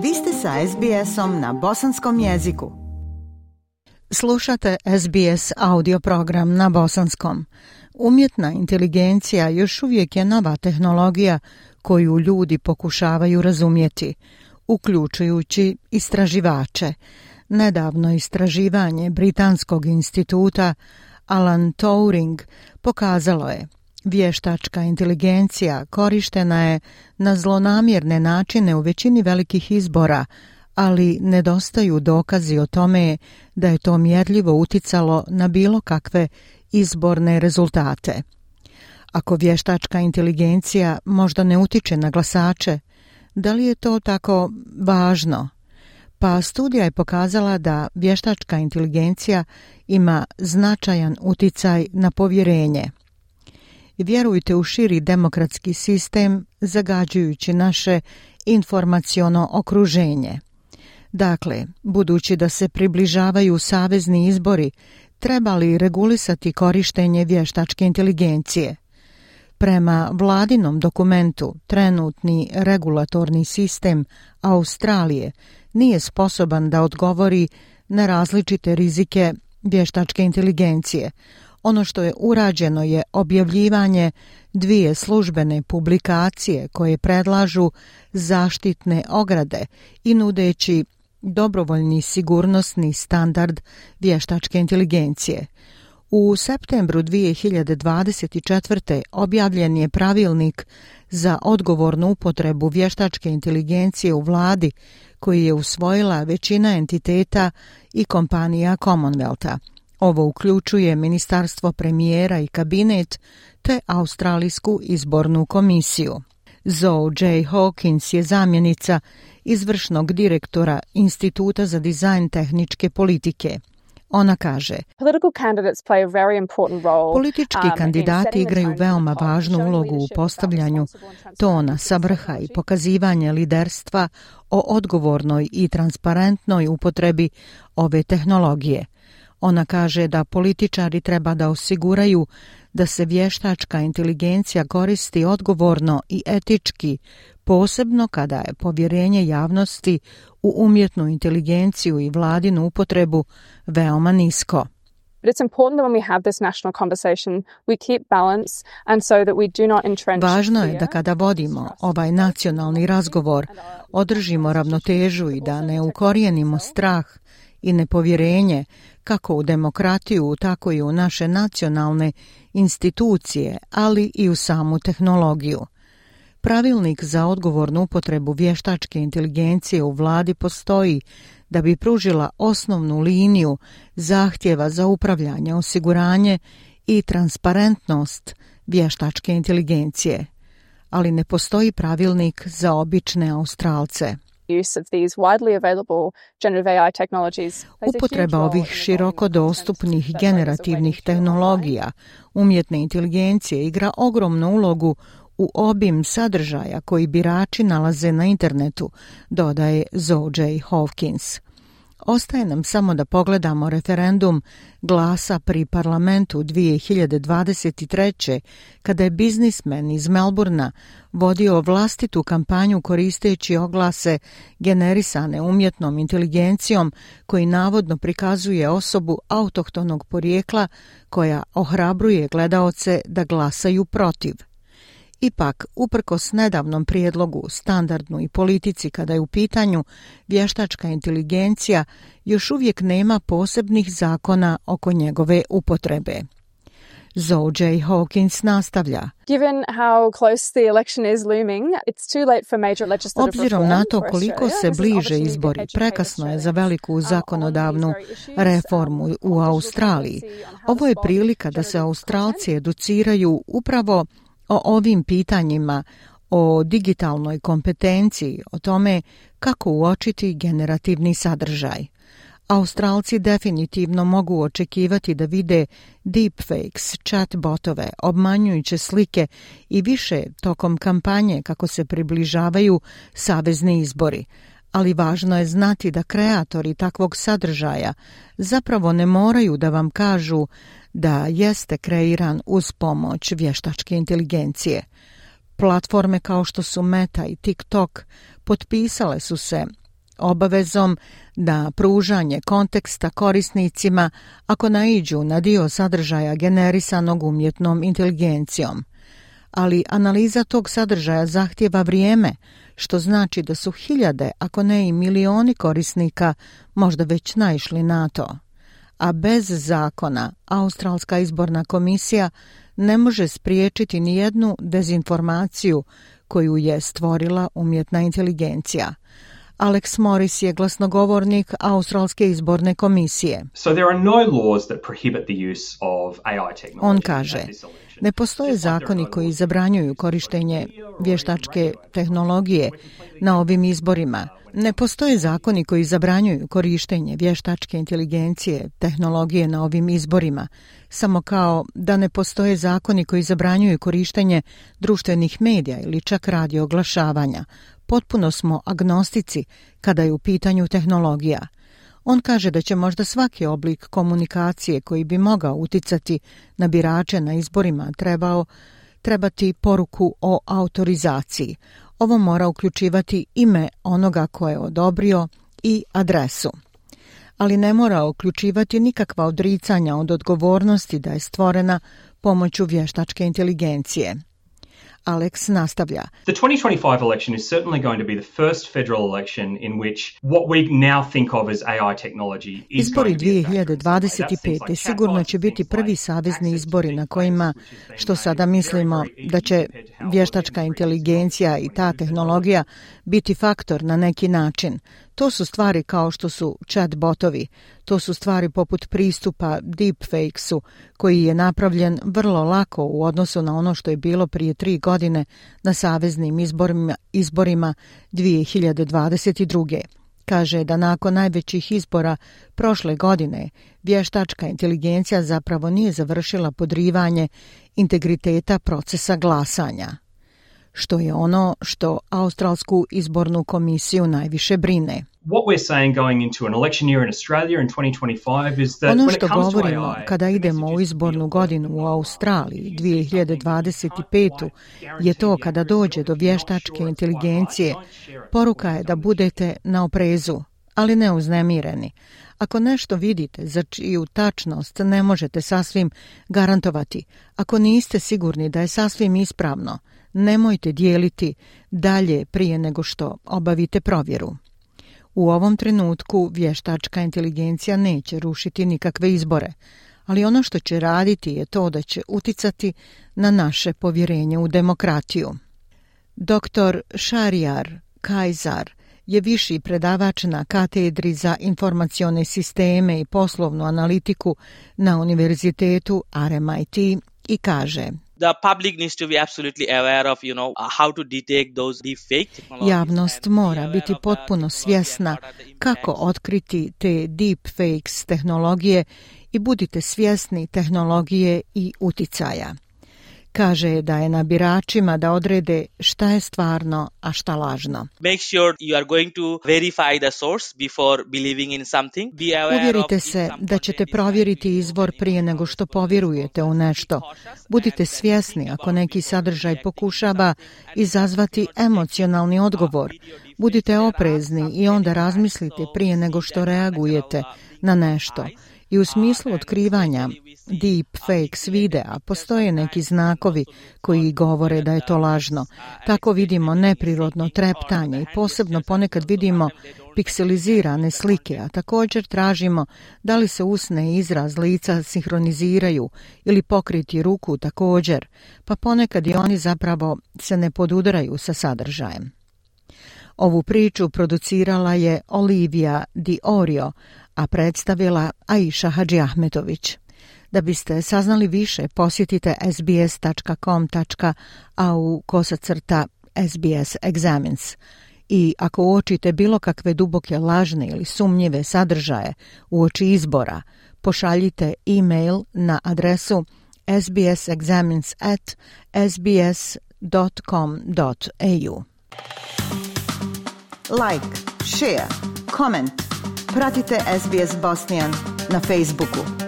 Vi ste sa SBS-om na bosanskom jeziku. Slušate SBS audio program na bosanskom. Umjetna inteligencija još uvijek je nova tehnologija koju ljudi pokušavaju razumjeti, uključujući istraživače. Nedavno istraživanje Britanskog instituta Alan Turing pokazalo je: vještačka inteligencija korištena je na zlonamjerne načine u većini velikih izbora, ali nedostaju dokazi o tome da je to mjerljivo uticalo na bilo kakve izborne rezultate. Ako vještačka inteligencija možda ne utiče na glasače, da li je to tako važno? Pa studija je pokazala da vještačka inteligencija ima značajan uticaj na povjerenje. Vjerujte u širi demokratski sistem zagađujući naše informaciono okruženje. Dakle, budući da se približavaju savezni izbori, treba li regulisati korištenje vještačke inteligencije? Prema vladinom dokumentu, trenutni regulatorni sistem Australije nije sposoban da odgovori na različite rizike vještačke inteligencije. Ono što je urađeno je objavljivanje 2 službene publikacije koje predlažu zaštitne ograde i nudeći dobrovoljni sigurnosni standard vještačke inteligencije. U septembru 2024. objavljen je pravilnik za odgovornu upotrebu vještačke inteligencije u vladi koji je usvojila većina entiteta i kompanija Commonwealtha. Ovo uključuje Ministarstvo premijera i kabinet te Australijsku izbornu komisiju. Zoe J. Hawkins je zamjenica izvršnog direktora Instituta za dizajn tehničke politike. Ona kaže: politički kandidati igraju veoma važnu ulogu u postavljanju tona sa vrha i pokazivanje liderstva o odgovornoj i transparentnoj upotrebi ove tehnologije. Ona kaže da političari treba da osiguraju da se vještačka inteligencija koristi odgovorno i etički, posebno kada je povjerenje javnosti u umjetnu inteligenciju i vladinu upotrebu veoma nisko. Važno je da kada vodimo ovaj nacionalni razgovor, održimo ravnotežu i da ne ukorijenimo strah i nepovjerenje kako u demokratiju, tako i u naše nacionalne institucije, ali i u samu tehnologiju. Pravilnik za odgovornu upotrebu vještačke inteligencije u vladi postoji da bi pružila osnovnu liniju zahtjeva za upravljanje, osiguranje i transparentnost vještačke inteligencije, ali ne postoji pravilnik za obične Australce. Upotreba ovih široko dostupnih generativnih tehnologija umjetne inteligencije igra ogromnu ulogu u obim sadržaja koji birači nalaze na internetu, dodaje Zoe J. Hawkins. Ostaje nam samo da pogledamo referendum glasa pri parlamentu 2023. kada je biznismen iz Melbourna vodio vlastitu kampanju koristeći oglase generisane umjetnom inteligencijom koji navodno prikazuje osobu autohtonog porijekla koja ohrabruje gledaoce da glasaju protiv. Ipak, uprkos nedavnom prijedlogu, standardnu i politici kada je u pitanju vještačka inteligencija, još uvijek nema posebnih zakona oko njegove upotrebe. Zoe J. Hawkins nastavlja: obzirom na to koliko se bliže izbori, prekasno je za veliku zakonodavnu reformu u Australiji. Ovo je prilika da se Australci educiraju upravo o ovim pitanjima, o digitalnoj kompetenciji, o tome kako uočiti generativni sadržaj. Australci definitivno mogu očekivati da vide deepfakes, chatbotove, obmanjujuće slike i više tokom kampanje kako se približavaju savezni izbori. Ali važno je znati da kreatori takvog sadržaja zapravo ne moraju da vam kažu da jeste kreiran uz pomoć vještačke inteligencije. Platforme kao što su Meta i TikTok potpisale su se obavezom da pružanje konteksta korisnicima ako naiđu na dio sadržaja generisanog umjetnom inteligencijom. Ali analiza tog sadržaja zahtijeva vrijeme, što znači da su hiljade, ako ne i milioni korisnika možda već naišli na to. A bez zakona, Australska izborna komisija ne može spriječiti ni jednu dezinformaciju koju je stvorila umjetna inteligencija. Alex Morris je glasnogovornik Australske izborne komisije. On kaže, ne postoje zakoni koji zabranjuju korištenje vještačke tehnologije na ovim izborima. Ne postoje zakoni koji zabranjuju korištenje vještačke inteligencije, tehnologije na ovim izborima, samo kao da ne postoje zakoni koji zabranjuju korištenje društvenih medija ili čak radio oglašavanja. Potpuno smo agnostici kada je u pitanju tehnologija. On kaže da će možda svaki oblik komunikacije koji bi mogao uticati na birače na izborima trebati poruku o autorizaciji. Ovo mora uključivati ime onoga ko je odobrio i adresu. Ali ne mora uključivati nikakva odricanja od odgovornosti da je stvorena pomoću vještačke inteligencije. Alex nastavlja. The 2025 election is certainly going to be the first federal election in which what we now think of as AI technology is going to be. Izbori 2025. sigurno će biti prvi savezni izbori na kojima, što sada mislimo da će vještačka inteligencija i ta tehnologija biti faktor na neki način. To su stvari kao što su chat botovi, to su stvari poput pristupa deepfakesu koji je napravljen vrlo lako u odnosu na ono što je bilo prije 3 godine na saveznim izborima 2022. Kaže da nakon najvećih izbora prošle godine vještačka inteligencija zapravo nije završila podrivanje integriteta procesa glasanja, što je ono što Australsku izbornu komisiju najviše brine. Ono što govorimo kada idemo u izbornu godinu u Australiji 2025. je to kada dođe do vještačke inteligencije, poruka je da budete na oprezu, ali ne uznemireni. Ako nešto vidite za čiju tačnost ne možete sasvim garantovati, ako niste sigurni da je sasvim ispravno, nemojte dijeliti dalje prije nego što obavite provjeru. U ovom trenutku vještačka inteligencija neće rušiti nikakve izbore, ali ono što će raditi je to da će uticati na naše povjerenje u demokratiju. Dr. Shahriar Kajzar je viši predavač na katedri za informacione sisteme i poslovnu analitiku na univerzitetu RMIT i kaže: The public needs to be absolutely aware of, how to detect those deepfake technologies. Javnost mora biti potpuno svjesna kako otkriti te deepfakes tehnologije i budite svjesni tehnologije i uticaja. Kaže da je na biračima da odrede šta je stvarno, a šta lažno. Make sure you are going to verify the source before believing in something. Uvjerite se da ćete provjeriti izvor prije nego što povjerujete u nešto. Budite svjesni ako neki sadržaj pokušava izazvati emocionalni odgovor. Budite oprezni i onda razmislite prije nego što reagujete na nešto. I u smislu otkrivanja deepfakes videa postoje neki znakovi koji govore da je to lažno. Tako vidimo neprirodno treptanje i posebno ponekad vidimo pikselizirane slike, a također tražimo da li se usne i izraz lica sinhroniziraju ili pokriti ruku također, pa ponekad i oni zapravo se ne podudaraju sa sadržajem. Ovu priču producirala je Olivia Di Orio, a predstavila Aisha Hadžiahmetović. Da biste saznali više, posjetite sbs.com.au/SBS Examines. I ako uočite bilo kakve duboke lažne ili sumnjive sadržaje uoči izbora, pošaljite e-mail na adresu sbsexamines@sbs.com.au. Like, share, comment. Pratite SBS Bosnian na Facebooku.